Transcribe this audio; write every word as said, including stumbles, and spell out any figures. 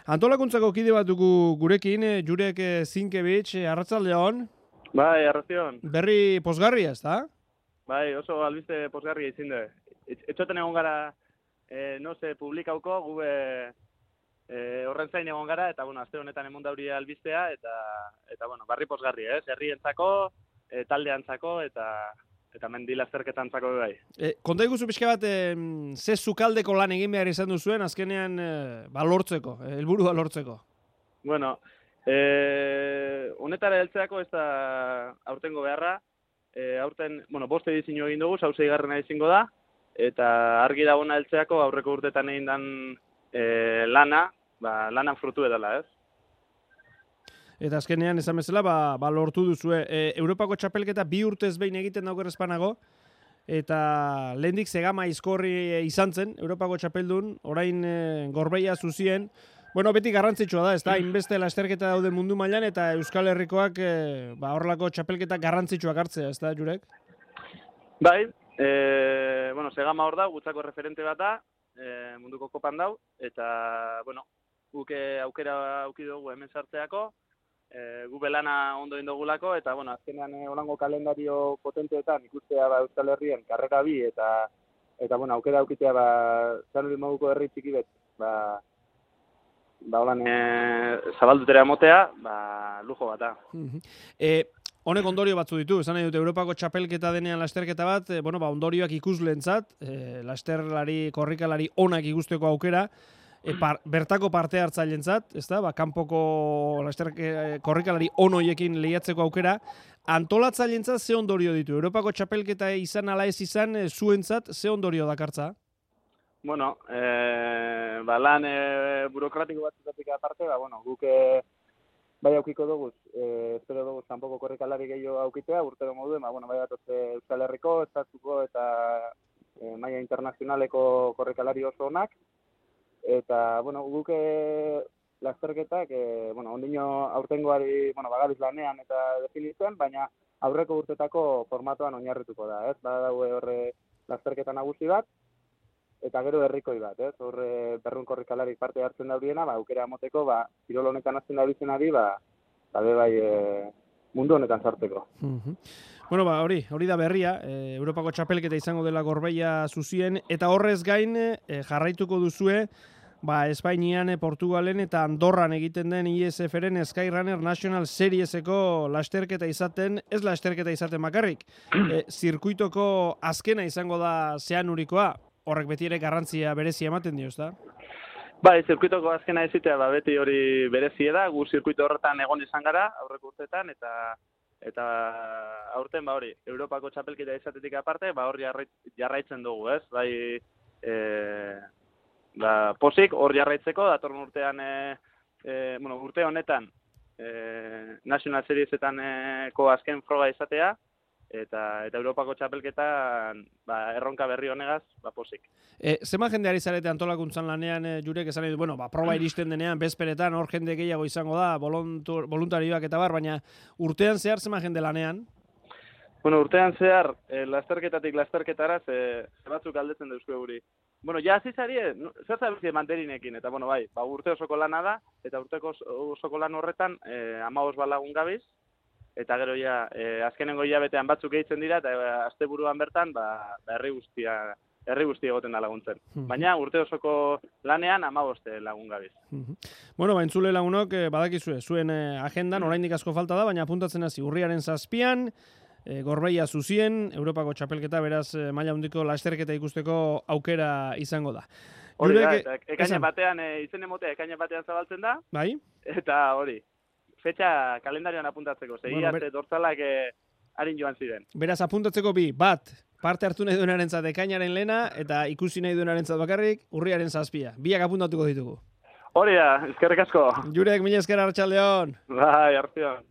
Antolakuntzako kide bat dugu gurekin, Jurek Zinkevich, arratsaldeon. Bai, arratsaldeon. Berri posgarria, ez da? Bai, oso albiste posgarria izin da. Etxoten egon gara, eh, no se publikauko, gu eh, horren zain egon gara, eta, bueno, aste honetan emon dauri albistea, eta, eta bueno, barri posgarria, ez? Herrientzako, eh, taldeantzako, eta... eta mendi lasterketantzako bai. E, konta iguzu pixka bat, e, ze zukaldeko lan egin behar izan duzuen, azkenean e, ba, lortzeko, helburua lortzeko? Bueno, e, honetara heltzeako ez da aurtengo beharra, e, aurten, bueno, bost edizio egin dugu, sauze igarrena izango da, eta argi dagona heltzeako aurreko urtetan egin dan e, lana, ba, lanan frutu edala, ez? Eta azkenean, esan bezala, ba, ba lortu duzue. E, Europako txapelketa bi urtez behin egiten dauker espanago, eta lehendik zegama izkorri izan zen, Europako txapeldun, orain e, Gorbeia zuzien. Bueno, beti garrantzitsua da, ez da, inbeste lasterketa daude mundu mailan, eta Euskal Herrikoak e, ba, horrelako txapelketa garrantzitsuak hartzea, ez da, Jurek? Bai, e, bueno, zegama hor da, gutzako referente bat da, e, munduko kopan dau, eta, bueno, guke aukera auki dugu hemen sartzeako, E, gu belana ondo indogulako, eta, bueno, azkenean e, holango kalendario potenteetan ikustea ba, Euskal Herrien karrera bi, eta, eta bueno, aukera aukitea, ba, San Luis moduko herri txiki bet, ba, ba, holan, e, zabaldutera motea, ba, lujo bat da. e, honek ondorio batzu ditu, esan nahi dute, Europako txapelketa denean lasterketa bat, e, bueno, ba, ondorioak ikuslentzat, e, lasterlari, korrikalari onak ikusteko aukera, E, par, bertako parte hartzailentzat, ezta? Ba, kanpoko lasterke korrikalari onoiekin lehiatzeko aukera, antolatzaileentzat ze ondorio ditu? Europako txapelketa izan ala ez izan, e, zuentzat ze ondorio dakartza? Bueno, e, ba, lan e, burokratiko batzutatik aparte, ba, bueno, guk e, bai aukiko dugu, e, espero dugu kanpoko korrikalari gehiago aukitea, urtero moduen, ba, bueno, bai datoze Euskal Herriko, estatuko eta e, maila internazionaleko korrikalari oso onak, eta, bueno, guke lasterketak, e, bueno, ondino aurtengoari, bueno, bagabiz lanean eta definitzen, baina aurreko urtetako formatoan oinarrituko da, ez? Bada daue horre lasterketa nagusi bat, eta gero herrikoi bat, ez? Horre berrun korrikalarik parte hartzen dauriena, ba, aukera amoteko, ba, kirol honetan azten daurizenari, ba, ba, bai, e, mundu honetan sartzeko. Uh-huh. Bueno, ba, hori, hori da berria, e, Europako txapelketa izango dela Gorbeia zuzien, eta horrez gain e, jarraituko duzue, ba, Espainian, Portugalen eta Andorran egiten den I S F-ren Skyrunner National Serieseko lasterketa izaten, ez lasterketa izaten bakarrik, e, zirkuitoko azkena izango da zeanurikoa, horrek beti ere garrantzia berezia ematen dio, ezta? Bai, zirkuitoko azkena ezitea, ba, beti hori berezie da, gu zirkuito horretan egon izan gara, aurreko urteetan, eta eta aurten, ba hori, Europako txapelketa izatetik aparte, ba hor jarraitzen dugu, ez? Bai, e, ba, posik hor jarraitzeko, datorren urtean, e, e, bueno, urte honetan, e, National Seriesetan ko azken froga izatea, eta eta Europako txapelketan ba, erronka berri honegaz, ba, posik. E, zema jende ari zarete antolakuntzan lanean, e, Jurek esan nahi du, bueno, ba, proba iristen denean, bezperetan, hor jende gehiago izango da, voluntur, voluntarioak eta bar, baina urtean zehar zema jende lanean? Bueno, urtean zehar, e, lasterketatik lasterketaraz, e, batzuk aldetzen dauzko guri. Bueno, ja hasi zarie, zer zabizie manterinekin, eta bueno, bai, ba, urte osoko lana da, eta urteko osoko lan horretan, e, amabos balagun gabiz, eta gero ja, e, azkenengo hilabetean batzuk gehitzen dira, eta e, asteburuan bertan, ba, herri guztia, herri guztia egoten da laguntzen. Baina urte osoko lanean amaboste lagun gabiz. Bueno, ba, entzule lagunok, eh, badakizue, zuen eh, agendan, oraindik asko falta da, baina apuntatzen hasi urriaren zazpian, eh, Gorbeia zuzien, Europako txapelketa, beraz, eh, maila handiko lasterketa ikusteko aukera izango da. Hori da, eta ekaina batean, e, izen emotea ekaina batean zabaltzen da, bai? Eta hori, fetxa kalendarioan apuntatzeko, segi bueno, arte ber... dortzalak eh, harin joan ziren. Beraz, apuntatzeko bi, bat, parte hartu nahi duenarentzat ekainaren lehena, eta ikusi nahi duenarentzat bakarrik, urriaren zazpia. Biak apuntatuko ditugu. Hori da, eskerrik asko. Jurek, mila esker arratsaldeon. Bai, artean.